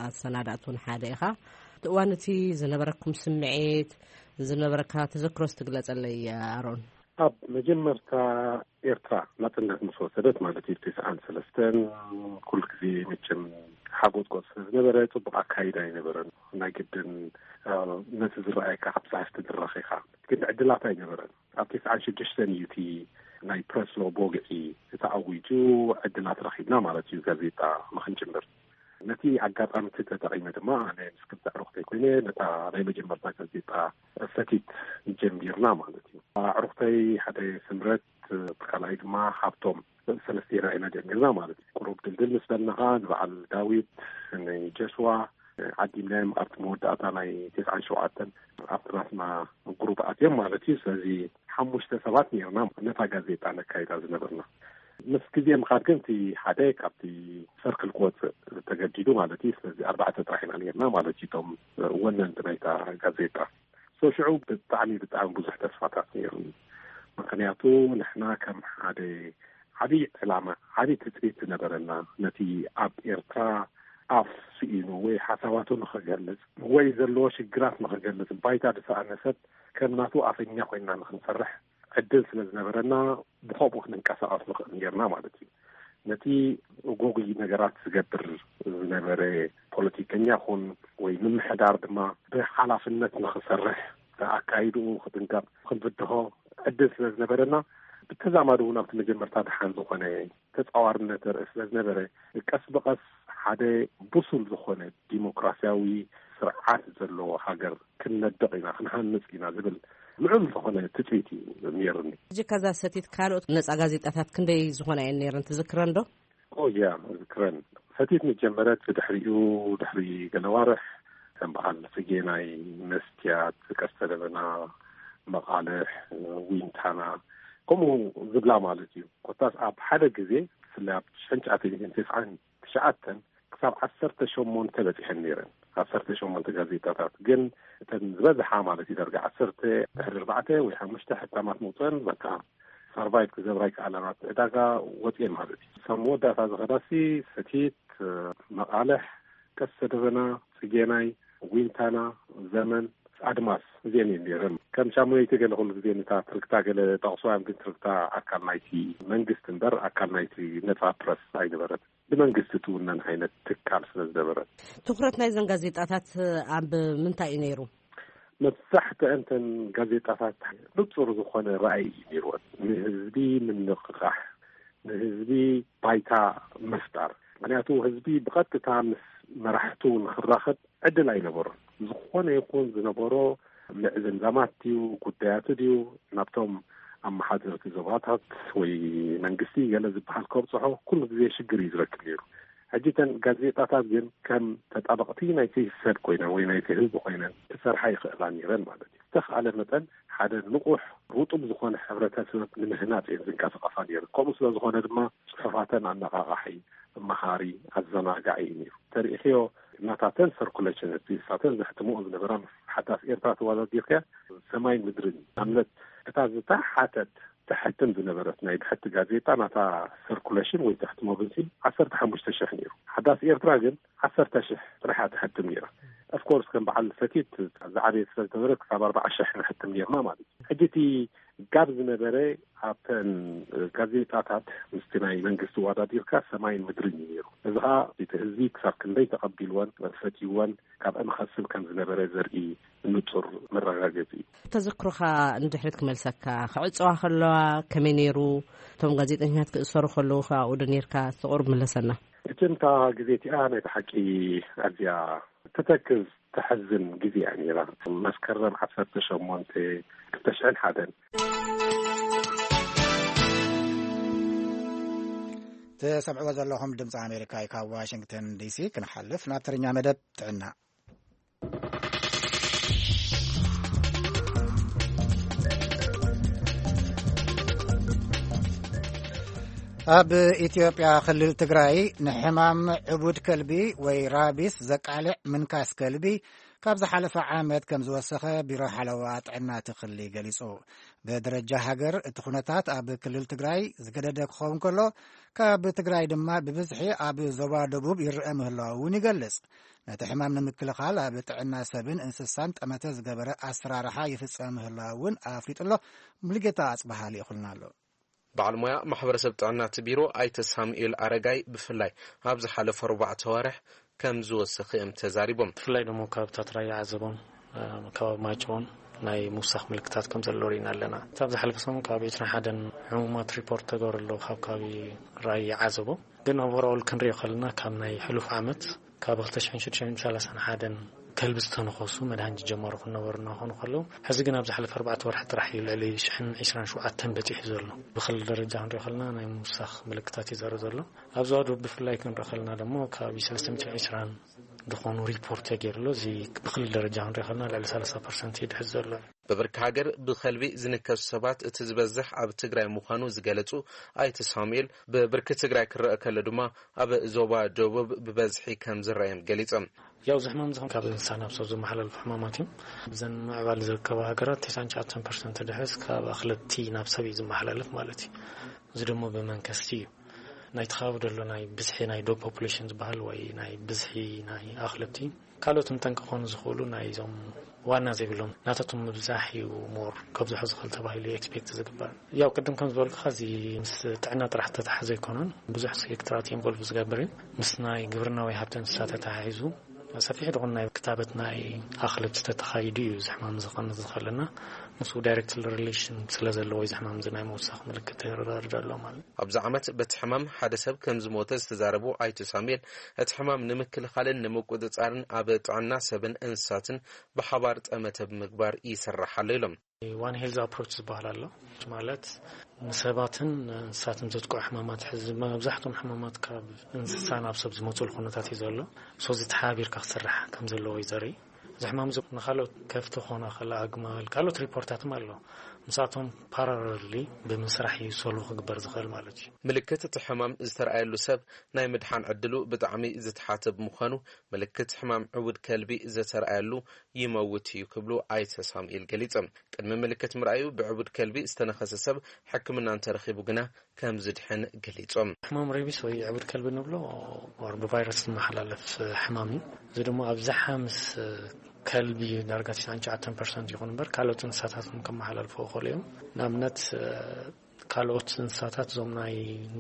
ኣሰናዳእቲ እውን ሓደ ኢኻ። እቲ እዋን እቲ ዝነበረኩም ስምዒት፣ ዝነበረካ ተዘክሮስ ትግለጸለይ ኣሮን? ኣብ መጀመርታ ኤርትራ ናጽነት ምስ ወሰደት ማለት እዩ፣ ትስዓን ሰለስተን፣ ኩሉ ግዜ መቸም ሓጎጽጎጽ ስለ ዝነበረ ጽቡቕ ኣካይዳ ኣይነበረን። ናይ ግድን፣ እ፣ ነቲ ዝረኣየካ ካብ ጸሓፍቲ ትድረኽ ኢኻ። ግን ዕድላት ኣይነበረን። ኣብ ትስዓን ሽዱሽተን እዩ እቲ ናይ ፕረስ ሎ ብወግዒ ተኣዊጁ፣ ዕድላት ረኺብና ማለት እዩ ጋዜጣ ንኽንጅምር። ነቲ ኣጋጣሚ እቲ ተጠቒመ ድማ ኣነ ምስ ክልተ ኣዕሩኽተይ ኮይነ ነታ ናይ መጀመርታ ጋዜጣ ሰቲት ጀሚርና ማለት እዩ። ኣዕሩኽተይ ሓደ ስምረት፣ እቲ ካልኣይ ድማ ሃብቶም፣ ሰለስቴና ኢና ጀሚርና ማለት እዩ። ቁሩብ ድልድል ምስ በልና ኸዓ ንበዓል ዳዊት፣ ንጀስዋ ዓዲምናዮም ኣብቲ መወዳእታ ናይ ተስዓን ሸውዓተን ኣብቲ ናትና ግሩፕ ኣትዮም ማለት እዩ። ስለዚ ሓሙሽተ ሰባት ነርና ነታ ጋዜጣ ነካይዳ ዝነበርና። ምስ ግዜ ምኻድ ግን እቲ ሓደ ካብቲ ሰርክል ክወፅእ ተገዲዱ ማለት እዩ። ስለዚ ኣርባዕተ ጥራሕ ኢና ነርና ማለት እዩ፣ እቶም ወነንቲ ናይታ ጋዜጣ። ሶ ሽዑ ብጣዕሚ፣ ብጣዕሚ ብዙሕ ተስፋታት ነይሩኒ። ምኽንያቱ ንሕና ከም ሓደ ዓብዪ ዕላማ፣ ዓብዪ ትጽቢት ዝነበረና፣ ነቲ ኣብ ኤርትራ ኣፍ ስኢኑ ወይ ሓሳባቱ ንኽገልጽ ወይ ዘለዎ ሽግራት ንኽገልጽ ባይታ ዝሰኣነ ሰብ ከም ናቱ ኣፈኛ ኮይንና ንኽንሰርሕ ዕድል ስለ ዝነበረና፣ ብኸምኡ ክንንቀሳቐስ ንኽእል ነርና ማለት እዩ። ነቲ ጎጉይ ነገራት ዝገብር ዝነበረ ፖለቲከኛ ኹን ወይ ምምሕዳር ድማ ብሓላፍነት ንኽሰርሕ፣ ኣካይድኡ ክጥንቀቕ፣ ክንፍትሖ ዕድል ስለ ዝነበረና፣ ብተዛማዲ እውን ኣብቲ መጀመርታ ደሓን ዝኾነ ተጻዋርነት ርእ ስለ ዝነበረ፣ ቀስ ብቐስ ሓደ ብሱል ዝኾነ ዲሞክራሲያዊ ስርዓት ዘለዎ ሃገር ክንነድቕ ኢና፣ ክንሃንጽ ኢና ዝብል ልዑል ዝኾነ ትጽቢት እዩ ነይርኒ። ሕጂ ከዛ ሰቲት ካልኦት ነጻ ጋዜጣታት ክንደይ ዝኾና እየን ነይረን ትዝክረን ዶ? ኦ ያ፣ እዝክረን። ሰቲት ምስ ጀመረት ብድሕሪኡ፣ ድሕሪ ገለ ኣዋርሕ፣ ከም በዓል ጽጌናይ፣ መስትያት፣ ቀስተ ደበና፣ መቓልሕ፣ ዊንታና፣ ከምኡ ዝብላ ማለት እዩ። ኮታስ ኣብ ሓደ ግዜ፣ ብፍላይ ኣብ ሽሕን ትሽዓተ ሚእትን ተስዓን ትሽዓተን ክሳብ ዓሰርተ ሸሞንተ በጺሐን ነይረን። ዓሰርተ ሸሞንተ ጋዜጣታት። ግን እተን ዝበዝሓ ማለት እዩ፣ ዳርጋ ዓሰርተ ድሕሪ ኣርባዕተ ወይ ሓሙሽተ ሕታማት መውጽአን፣ በቃ፣ ሰርቫይቭ ክገብራ ይከኣላን ኣብቲ ዕዳጋ ወጽኤን ማለት እዩ። ክሳብ መወዳእታ ዝኸዳሲ ሰቲት፣ መቓልሕ፣ ቀስተ ደበና፣ ጽጌናይ፣ ዊንታና፣ ዘመን፣ ኣድማስ፣ እዚአን እየን ነይረን። ከም ሻሙነይቲ ገለ ኩሉ ግዜ ነታ ትርክታ ገለ ጠቕስዋ እዮም፣ ግን ትርክታ ኣካል ናይቲ መንግስቲ እምበር ኣካል ናይቲ ነጻ ፕረስ ኣይነበረት። ብመንግስቲ ትውነን ዓይነት ትካል ስለ ዝነበረት። ትኹረት ናይዘን ጋዜጣታት ኣብ ምንታይ እዩ ነይሩ? መብዛሕትአን እተን ጋዜጣታት ንጹር ዝኾነ ራእይ እዩ ነይርወን። ንህዝቢ ምንቕቓሕ፣ ንህዝቢ ባይታ ምፍጣር። ምኽንያቱ ህዝቢ ብቐጥታ ምስ መራሕቱ ንኽራኸብ ዕድል ኣይነበሮን። ዝኾነ ይኹን ዝነበሮ ምዕዝምዛማት ድዩ፣ ጉዳያቱ ድዩ፣ ናብቶም ኣመሓደርቲ ዞባታት ወይ መንግስቲ ገለ ዝበሃል ከብጽሖ ኩሉ ግዜ ሽግር እዩ ዝረክብ ነይሩ። ሕጂ እተን ጋዜጣታት ግን ከም ተጣበቕቲ ናይቲ ሰብ ኮይነን ወይ ናይቲ ህዝቢ ኮይነን ክሰርሓ ይኽእላ ነይረን ማለት እዩ። ዝተኽኣለ መጠን ሓደ ንቑሕ ርጡብ ዝኾነ ሕብረተሰብ ንምህናጽ እየን ዝንቀሳቐሳ ነይረን። ከምኡ ስለ ዝኾነ ድማ ጽሑፋተን ኣነቓቓሒ፣ መሃሪ፣ ኣዘናጋዒ እዩ ነይሩ። ተሪእኽዮ ናታተን ሰርኩሌሽን፣ እቲ ንሳተን ዘሕትምኦ ዝነበራ፣ ምስ ሓዳስ ኤርትራ ተወዳዲርካ ሰማይን ምድርን እዩ። ንኣብነት፣ እታ ዝተሓተት፣ ተሕትም ዝነበረት ናይ ብሕቲ ጋዜጣ፣ ናታ ሰርኩሌሽን ወይ ተሕትሞ ብዝሒ ዓሰርተ ሓሙሽተ ሽሕ ነይሩ። ሓዳስ ኤርትራ ግን ዓሰርተ ሽሕ ጥራሕ እያ ተሕትም ነይራ። ኦፍኮርስ፣ ከም በዓል ሰቲት ዝዓበየ ስለ ዝነበረ፣ ክሳብ ኣርባዓ ሽሕ ንሕትም ነይርና ማለት እዩ። ሕጂ እቲ ጋብ ዝነበረ፣ ኣብተን ጋዜጣታት ምስቲ ናይ መንግስቲ ወዳዲርካ ሰማይን ምድርን እዩ ነይሩ። እዚ ኸዓ እቲ ህዝቢ ክሳብ ክንደይ ተቐቢልወን፣ ፈትይወን፣ ካብአን ኸስብ ከም ዝነበረ ዘርኢ ንጹር መረጋገጺ እዩ። ተዘክሮኻ ንድሕሪት ክመልሰካ፣ ክዕጸዋ ከለዋ ከመይ ነይሩ? እቶም ጋዜጠኛታት ክእሰሩ ከለዉ ከ ኣብኡ ዶ ነይርካ? ተቑርብ ምለሰና። እትንታ ግዜ እቲኣ ናይ ብሓቂ ኣዝያ ትተክዝ፣ ተሕዝን ግዜ እያ ነይራ። መስከረም ዓሰርተ ሸሞንተ ክልተ ሽሕን ሓደን። ትሰምዕዎ ዘለኹም ድምፂ ኣሜሪካ እዩ። ካብ ዋሽንግተን ዲሲ ክንሓልፍ ናብ ትርኛ መደብ ጥዕና። ኣብ ኢትዮጵያ ክልል ትግራይ ንሕማም ዕቡድ ከልቢ ወይ ራቢስ ዘቃልዕ ምንካስ ከልቢ ካብ ዝሓለፈ ዓመት ከም ዝወሰኸ ቢሮ ሓለዋ ጥዕና እቲ ክልል ገሊጹ። ብደረጃ ሃገር እቲ ኩነታት ኣብ ክልል ትግራይ ዝገደደ ክኸውን ከሎ፣ ካብ ትግራይ ድማ ብብዝሒ ኣብ ዞባ ደቡብ ይረአ ምህላው እውን ይገልጽ። ነቲ ሕማም ንምክልኻል ኣብ ጥዕና ሰብን እንስሳን ጠመተ ዝገበረ ኣሰራርሓ ይፍጸም ምህላው እውን ኣፍሊጡ ኣሎ። ሙሉጌታ ኣጽበሃ ልኢኹልና ኣሎ። በዓል ሞያ ማሕበረሰብ ጥዕና እቲ ቢሮ ኣይተ ሳሙኤል ኣረጋይ፣ ብፍላይ ኣብ ዝሓለፈ ኣርባዕተ ኣዋርሕ ከም ዝወሰኸ እዮም ተዛሪቦም። ብፍላይ ደሞ ከባብታት ራያ ዓዘቦን፣ እ፣ ከባቢ ማይጨውን ናይ ምውሳኽ ምልክታት ከም ዘሎ ርኢና ኣለና። እቲ ኣብ ዝሓለፈ ሰሙን ከባቢ ዕስራን ሓደን ሕሙማት ሪፖርት ተገበረሉ ካብ ከባቢ ራያ ዓዘቦ። ግን ኦቨርኦል ክንሪኦ ከለና ካብ ናይ ሕሉፍ ዓመት ካብ ክልተ ሽሕን ሽዱሽተ ሚእትን ሰላሳን ሓደን ከልቢ ዝተነኸሱ መድሃኒት ዝጀመሩ ክነበሩ እናኾኑ ከለዉ፣ ሕዚ ግን ኣብ ዝሓለፈ ኣርባዕተ ወርሒ ጥራሕ እዩ ልዕሊ ሽሕን ዕስራን ሸውዓተን በጺሑ ዘሎ። ብክልል ደረጃ ክንሪኦ ከለና ናይ ምውሳኽ ምልክታት እዩ ዘርኢ ዘሎ። ኣብ ዞባ ደቡብ ብፍላይ ክንሪኦ ከለና ደሞ ከባቢ ሰለስተ ሚእትን ዕስራን ዝኾኑ ሪፖርት ተገይሩ ኣሎ። እዚ ብክልል ደረጃ ክንሪኦ ከለና ልዕሊ ሰላሳ ፐርሰንት እዩ ድሕዝ ዘሎ። ብብርኪ ሃገር ብኸልቢ ዝንከሱ ሰባት እቲ ዝበዝሕ ኣብ ትግራይ ምዃኑ ዝገለጹ ኣይተ ሳሙኤል፣ ብብርኪ ትግራይ ክረአ ከሎ ድማ ኣብ ዞባ ደቡብ ብበዝሒ ከም ዝረኣዮም ገሊጾም። ያው እዚ ሕማም ዝኸውን ካብ እንስሳ ናብ ሰብ ዝመሓላለፉ ሕማማት እዮም። እዘን ምዕባል ዝርከባ ሃገራት ተስዓን ትሽዓተን ፐርሰንት ድሕስ ካብ ኣኽለብቲ ናብ ሰብ እዩ ዝመሓላለፍ ማለት እዩ። እዚ ደሞ ብመንከስቲ እዩ። ናይቲ ከባቢ ደሎ ናይ ብዝሒ ናይ ዶግ ፖፑሌሽን ዝበሃል ወይ ናይ ብዝሒ ናይ ኣኽለብቲ፣ ካልኦት ንጠንቂ ክኾኑ ዝኽእሉ ናይ እዞም ዋና ዘይብሎም ናታቶም ምብዛሕ እዩ ሞር ከብዝሖ ዝኽእል ተባሂሉ ኤክስፔክት ዝግበር። ያው ቅድም ከም ዝበልኩኻ እዚ ምስ ጥዕና ጥራሕ ተተሓዘ ኣይኮነን፣ ብዙሕ ሴክተራት ኢንቮልቭ ዝገብር እዩ። ምስ ናይ ግብርናዊ ሃብቲ እንስሳ ተተሓሒዙ ሰፊሕ ዝኾነ ናይ ክታበት ናይ ኣኽለብቲ ተተኻይዱ እዩ እዚ ሕማም ዝቐንስ ዝኽእልና። ምስኡ ዳይሬክት ሪሌሽን ስለ ዘለዎ እዚ ሕማም እዚ ናይ ምውሳኽ ምልክት ይረዳርዳ ኣሎ ማለት እዩ። ኣብዚ ዓመት በቲ ሕማም ሓደ ሰብ ከም ዝሞተ ዝተዛረቡ ኣይተ ሳሙኤል፣ እቲ ሕማም ንምክልኻልን ንምቁጽጻርን ኣብ ጥዕና ሰብን እንስሳትን ብሓባር ጠመተ ብምግባር ይስራሕ ኣሎ ኢሎም። ዋን ሄልዝ ኣፕሮች ዝበሃል ኣሎ። ማለት ንሰባትን እንስሳትን ዘጥቅዑ ሕማማት፣ ሕዚ መብዛሕትኦም ሕማማት ካብ እንስሳ ናብ ሰብ ዝመፁሉ ኩነታት እዩ ዘሎ። ሶ እዚ ተሓባቢርካ ክስራሕ ከም ዘለዎ እዩ ዘርኢ። እዚ ሕማም እዚ ንካልኦት ከፍቲ ክኾና ከላ ኣግማል፣ ካልኦት ሪፖርታትም ኣሎ። ምስኣቶም ፓራለሊ ብምስራሕ እዩ ሶልቭ ክግበር ዝኽእል ማለት እዩ። ምልክት እቲ ሕማም ዝተረኣየሉ ሰብ ናይ ምድሓን ዕድሉ ብጣዕሚ ዝተሓተ ብምዃኑ፣ ምልክት ሕማም ዕቡድ ከልቢ ዝተረኣየሉ ይመውት እዩ ክብሉ ኣይተ ሳሙኤል ገሊጾም። ቅድሚ ምልክት ምርኣዩ ብዕቡድ ከልቢ ዝተነኸሰ ሰብ ሕክምና እንተረኺቡ ግና ከም ዝድሕን ገሊጾም። ሕማም ሬቢስ ወይ ዕቡድ ከልቢ ንብሎ ወር ብቫይረስ ዝመሓላለፍ ሕማም እዩ። እዚ ድማ ኣብዝሓ ምስ ከልቢ ዳርጋ ትስዓን ትሽዓተን ፐርሰንት ይኹን እምበር ካልኦት እንስሳታት እውን ከመሓላልፎ ይኽእሉ እዮም። ንኣብነት ካልኦት እንስሳታት እዞም ናይ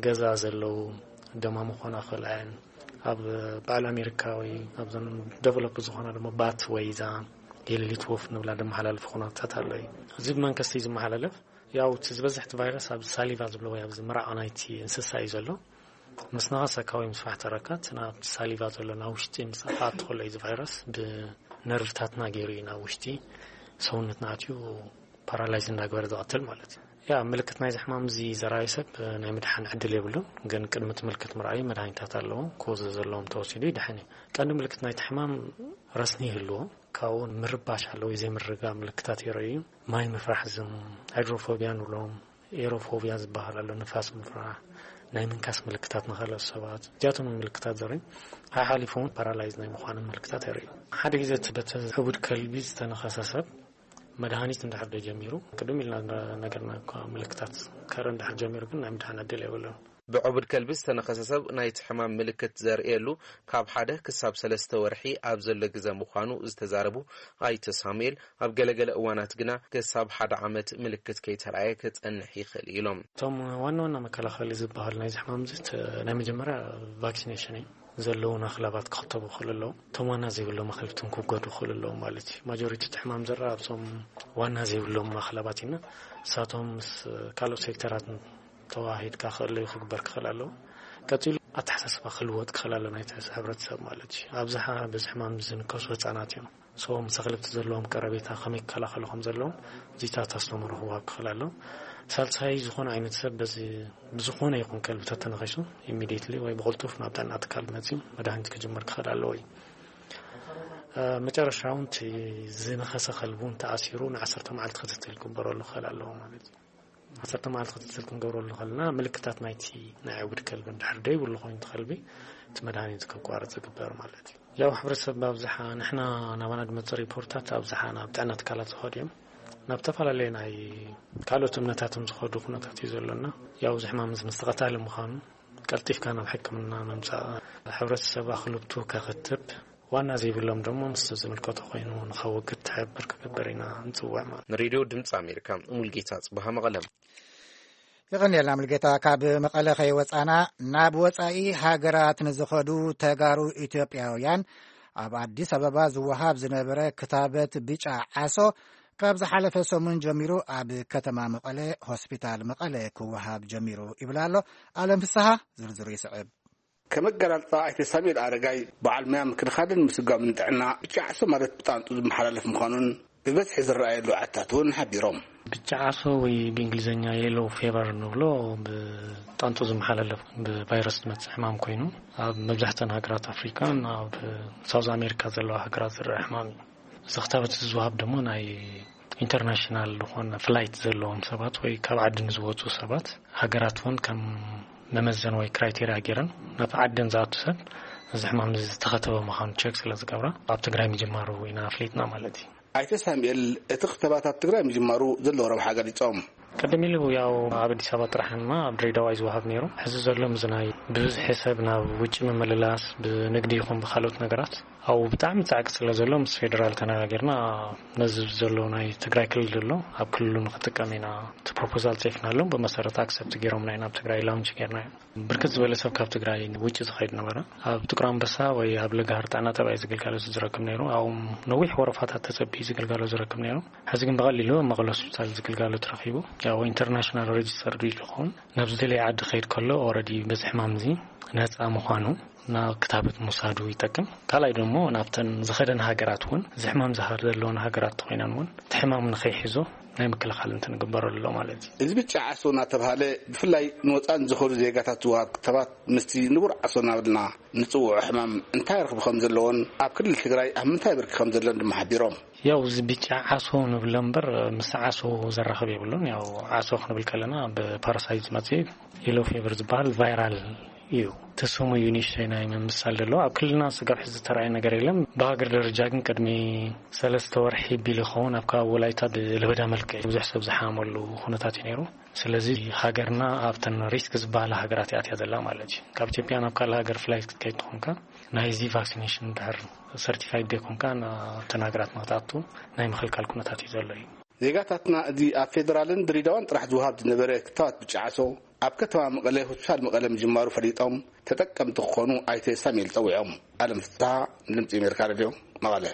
ገዛ ዘለዉ ደማሙ ክኾና ክኽእል እየን። ኣብ በዓል ኣሜሪካ ወይ ኣብዘን ደቨሎፕ ዝኾና ድማ ባት ወይ እዛ የሌሊት ወፍ ንብላ ደመሓላልፊ ኩነታት ኣሎ እዩ። እዚ ብመንከስቲ እዩ ዝመሓላለፍ። ያው እቲ ዝበዝሕ እቲ ቫይረስ ኣብ ሳሊቫ ዝብሎ ወይ ኣብዚ ምራቕ ናይቲ እንስሳ እዩ ዘሎ። ምስ ነኸሰካ ወይ ምስ ፋሕተረካ እቲ ናብቲ ሳሊቫ ዘሎ ናብ ውሽጢ ምስ ኣትኣት ከሎ እዩ እዚ ቫይረስ ብነርቭታትና ገይሩ እዩ ናብ ውሽጢ ሰውነትና ኣትዩ ፓራላይዝ እንዳግበረ ዝቐትል ማለት እዩ። ያ ምልክት ናይዚ ሕማም እዚ ዘራዩ ሰብ ናይ ምድሓን ዕድል የብሉን፣ ግን ቅድሚ እቲ ምልክት ምርኣዩ መድሃኒታት ኣለዎ። ኮዝ ዘለዎም ተወሲዱ ይድሕን እዩ። ቀንዲ ምልክት ናይቲ ሕማም ረስኒ ይህልዎ፣ ካብኡ ምርባሽ ኣለዎ፣ ዘይምርጋ ምልክታት የረዩ፣ ማይ ምፍራሕ፣ ዝም ሃይድሮፎቢያ ንብሎም ኤሮፎብያ ዝበሃል ኣሎ፣ ንፋስ ምፍራህ፣ ናይ ምንካስ ምልክታት ንኻልኦት ሰባት። እዚኣቶም ምልክታት ዘርኢ ሓሓሊፉ እውን ፓራላይዝ ናይ ምዃኑ ምልክታት የርኢ። ሓደ ግዜ እቲ በቲ ዕቡድ ከልቢ ዝተነኸሰ ሰብ መድሃኒት እንድሕር ዶ ጀሚሩ፣ ቅድም ኢልና ነገርና እኳ ምልክታት ከርኢ እንድሕር ጀሚሩ ግን ናይ ምድሓን ዕድል የብሉን። ብዕቡድ ከልቢ ዝተነኸሰ ሰብ ናይቲ ሕማም ምልክት ዘርእየሉ ካብ ሓደ ክሳብ ሰለስተ ወርሒ ኣብ ዘሎ ግዘ ምዃኑ ዝተዛረቡ ኣይተ ሳሙኤል፣ ኣብ ገለገለ እዋናት ግና ክሳብ ሓደ ዓመት ምልክት ከይተራእየ ክጸንሕ ይኽእል እዩ ኢሎም። እቶም ዋና ዋና መከላኸሊ ዝበሃሉ ናይዚ ሕማም እዚ ናይ መጀመርያ ቫክሲኔሽን እዩ። ዘለውን ኣኽላባት ክኽተቡ ይኽእሉ ኣለዉ። እቶም ዋና ዘይብሎም ኣኽልብትን ክውገዱ ይኽእሉ ኣለዉ ማለት እዩ። ማጆሪቲ እቲ ሕማም ዝረኣ ኣብዞም ዋና ዘይብሎም ኣኽላባት ኢና። ንሳቶም ምስ ካልኦት ሴክተራት ተዋሂድካ ክእለዩ ክግበር ክኽእል ኣለዎ። ቀጺሉ ኣተሓሳስባ ክልወጥ ክኽእል ኣሎ ናይቲ ሕብረተሰብ ማለት እዩ። ኣብዝሓ በዚ ሕማም ዝንከሱ ህጻናት እዮም። ሰቦም ምስ ኣኽልብቲ ዘለዎም ቀረቤታ ከመይ ክከላኸሉ ከም ዘለዎም እዚታት ኣስተምህሮ ክወሃብ ክኽእል ኣሎ። ሳልሳይ ዝኾነ ዓይነት ሰብ በዚ ብዝኾነ ይኹን ከልቢ ተተነኺሱ ኢሚዲየትሊ ወይ ብቕልጡፍ ናብ ጥዕና ትካል መፂኡ መድሃኒት ክጅምር ክኽእል ኣለዎ እዩ። መጨረሻ እውን እቲ ዝነኸሰ ከልቢ እውን ተኣሲሩ ንዓሰርተ መዓልቲ ክትትል ክግበረሉ ክኽእል ኣለዎ ማለት እዩ። ዓሰርተ መዓልቲ ክትትል ክንገብረሉ ከለና ምልክታት ናይቲ ናይ ዕውድ ከልቢ እንድሕር ደይብሉ ኮይኑ እቲ ከልቢ እቲ መድሃኒት ከቋርፅ ይግበር ማለት እዩ። ያው ሕብረተሰብ ብኣብዝሓ ንሕና ናባና ዝመፅእ ሪፖርታት ኣብዝሓ ናብ ጥዕና ትካላት ዝኸዱ እዮም። ናብ ዝተፈላለዩ ናይ ካልኦት እምነታትን ዝኸዱ ኩነታት እዩ ዘሎና። ያው እዚ ሕማም እዚ መስተቐታሊ ምዃኑ ቀልጢፍካ ናብ ሕክምና ምምፃእ፣ ሕብረተሰብ ኣኽልብቱ ከኽትብ፣ ዋና ዘይብሎም ደሞ ምስ ዝምልከቶ ኮይኑ ንኸወግድ ትሕብር ክገብር ኢና ንፅውዕ ማለት። ንሬድዮ ድምፂ ኣሜሪካ ሙልጌታ ፅቡሃ መቐለም። የቐንየልና ሙልጌታ። ካብ መቐለ ከይወፃና ናብ ወፃኢ ሃገራት ንዝኸዱ ተጋሩ ኢትዮጵያውያን ኣብ ኣዲስ ኣበባ ዝወሃብ ዝነበረ ክታበት ብጫ ዓሶ ካብ ዝሓለፈ ሰሙን ጀሚሩ ኣብ ከተማ መቐለ ሆስፒታል መቐለ ክወሃብ ጀሚሩ ይብል ኣሎ። ኣለም ፍስሃ ዝርዝሩ ይስዕብ። ከም ኣገላልፃ ኣይተ ሳሙኤል ኣረጋይ፣ በዓል ሙያ ምክልኻልን ምስጓምን ጥዕና፣ ብጫ ዓሶ ማለት ብጣንጡ ዝመሓላለፍ ምዃኑን ብበዝሒ ዝረኣየሉ ዓድታት እውን ሓቢሮም። ብጫ ዓሶ ወይ ብእንግሊዝኛ የሎ ፌቨር ንብሎ ብጣንጡ ዝመሓላለፍ ብቫይረስ ዝመፅእ ሕማም ኮይኑ ኣብ መብዛሕተን ሃገራት ኣፍሪካን ኣብ ሳውዝ ኣሜሪካ ዘለዋ ሃገራት ዝረአ ሕማም እዩ። እዚ ክታበት እዚ ዝወሃብ ድማ ናይ ኢንተርናሽናል ዝኾነ ፍላይት ዘለዎም ሰባት ወይ ካብ ዓዲ ንዝወፁ ሰባት ሃገራት እውን ከም መመዘን ወይ ክራይቴርያ ገይረን ናብ ዓደን ዝኣቱ ሰብ እዚ ሕማም እዚ ዝተኸተበ ምዃኑ ቸክ ስለ ዝገብራ ኣብ ትግራይ ምጅማሩ ኢና ኣፍሊጥና ማለት እዩ። ኣይተ ሳሙኤል እቲ ክተባት ኣብ ትግራይ ምጅማሩ ዘለዎ ረብሓ ገሊፆም። ቀደም ኢሉ ያው ኣብ ኣዲስ ኣበባ ጥራሕ ድማ ኣብ ድሬዳዋ እዩ ዝወሃብ ነይሩ። ሕዚ ዘሎ ምስዚ ናይ ብብዝሒ ሰብ ናብ ውጭ ምምልላስ ብንግዲ ይኹን ብካልኦት ነገራት ኣብኡ ብጣዕሚ ፃዕቂ ስለ ዘሎ ምስ ፌደራል ተነጋጊርና ነዚ ዘሎ ናይ ትግራይ ክልል ዘሎ ኣብ ክልሉ ንክጥቀም ኢና እቲ ፕሮፖዛል ፅሒፍናሎም ብመሰረት ኣክሰፕት ገይሮምና ኢና ኣብ ትግራይ ላውንች ገይርናዮ። ብርክት ዝበለ ሰብ ካብ ትግራይ ውጭ ዝኸይድ ነበረ። ኣብ ጥቁር ኣንበሳ ወይ ኣብ ለጋሃር ጥዕና ጠባይ ዝግልጋሎት ዝረክብ ነይሩ። ኣብኡ ነዊሕ ወረፋታት ተጸቢዩ ዝግልጋሎት ዝረክብ ነይሩ። ሕዚ ግን ብቐሊሉ ኣብ መቐለ ሆስፒታል ዝግልጋሎት ረኺቡ። ያው ኢንተርናሽናል ሬጅስተርድ እዩ ዝኸውን። ናብ ዝደለየ ዓዲ ክኸይድ ከሎ ኦረዲ በዚ ሕማም እዚ ነፃ ምዃኑ ናብ ክታበት ምውሳዱ ይጠቅም። ካልኣይ ደሞ ናብተን ዝኸደን ሃገራት እውን እዚ ሕማም ዝሃር ዘለወን ሃገራት ተኾይነን እውን እቲ ሕማም ንኸይሕዞ ናይ ምክልኻል እንትን ግበረሉ ኣሎ ማለት እዩ። እዚ ብጫ ዓሶ እናተብሃለ ብፍላይ ንወፃኢ ንዝኸዱ ዜጋታት ዝወሃብ ክታባት ምስቲ ንቡር ዓሶ እናበልና ንፅውዖ ሕማም እንታይ ርኽቢ ከም ዘለዎን ኣብ ክልል ትግራይ ኣብ ምንታይ ብርኪ ከም ዘሎን ድማ ሓቢሮም። ያው እዚ ብጫ ዓሶ ንብሎ እምበር ምስ ዓሶ ዘራኽብ የብሉን። ያው ዓሶ ክንብል ከለና ብፓራሳይት ዝመፅእ የሎ ፌቨር ዝበሃል ቫይራል እዩ። እቲ ስሙ እዩ ንእሽተይ ናይ ምምሳል ዘለዎ። ኣብ ክልልና ስጋብ ሕዚ ዝተረኣየ ነገር የለን። ብሃገር ደረጃ ግን ቅድሚ ሰለስተ ወርሒ ቢሉ ይኸውን ኣብ ከባቢ ወላይታ ብለበዳ መልክዕ ብዙሕ ሰብ ዝሓመሉ ኩነታት እዩ ነይሩ። ስለዚ ሃገርና ኣብተን ሪስክ ዝበሃላ ሃገራት እያ ኣትያ ዘላ ማለት እዩ። ካብ ኢትዮጵያ ናብ ካልእ ሃገር ፍላይት ክትከይድ ተኾንካ ናይዚ ቫክሲኔሽን ድሕር ሰርቲፋይድ ዘይኮንካ ናብተን ሃገራት ንክትኣቱ ናይ ምኽልካል ኩነታት እዩ ዘሎ እዩ። ዜጋታትና እዚ ኣብ ፌደራልን ድሬዳዋን ጥራሕ ዝወሃብ ዝነበረ ክታባት ብጫ ዓሶ ኣብ ከተማ መቐለ ሆስፒታል መቐለ ምጅማሩ ፈሊጦም ተጠቀምቲ ክኾኑ ኣይተ ሳሙኤል ፀዊዖም። ኣለም ፍስሃ፣ ድምፂ ኣሜሪካ ሬድዮ፣ መቐለ።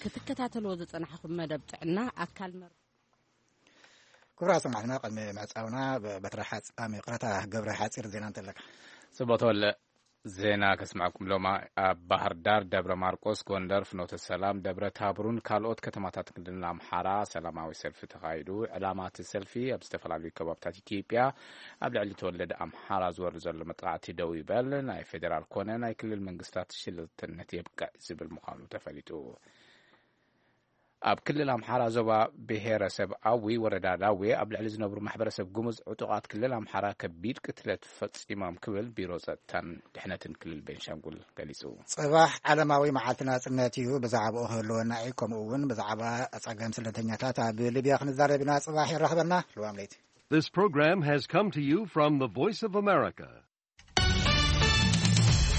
ክትከታተልዎ ዝጸናሕኹም መደብ ጥዕና ኣካል መር ክቡራት ሰማዕትና፣ ቅድሚ ምዕጻውና፣ በትሪ ሓጽ-፣ ኣም፣ ይቕረታ፣ ገብረ ሓጺር ዜና እንተለካ። ጽቡቕ ተወለ። ዜና ከስማዕኩም ሎማ። ኣብ ባህር ዳር፣ ደብረ ማርቆስ፣ ጎንደር፣ ፍኖተ ሰላም፣ ደብረ ታቦርን ካልኦት ከተማታት ክልል ኣምሓራ ሰላማዊ ሰልፊ ተኻይዱ። ዕላማ እቲ ሰልፊ ኣብ ዝተፈላለዩ ከባብታት ኢትዮጵያ ኣብ ልዕሊ ተወለደ ኣምሓራ ዝወርድ ዘሎ መጥቃዕቲ ደው ይበል፣ ናይ ፌዴራል ኮነ ናይ ክልል መንግስታት ሽለልተነት የብቅዕ ዝብል ምዃኑ ተፈሊጡ። ኣብ ክልል ኣምሓራ ዞባ ብሄረሰብ ኣዊ ወረዳ ዳዌ ኣብ ልዕሊ ዝነብሩ ማሕበረሰብ ጉሙዝ ዕጡቓት ክልል ኣምሓራ ከቢድ ቅትለት ፈጺሞም ክብል ቢሮ ጸጥታን ድሕነትን ክልል ቤንሻንጉል ገሊጹ። ጽባሕ ዓለማዊ መዓልቲ ናጽነት እዩ። ብዛዕባኡ ክህልወና እዩ። ከምኡ እውን ብዛዕባ ጸገም ስደተኛታት ኣብ ሊብያ ክንዛረብ ኢና። ጽባሕ የራኽበና። ልዋም ለይቲ። This program has come to you from the Voice of America,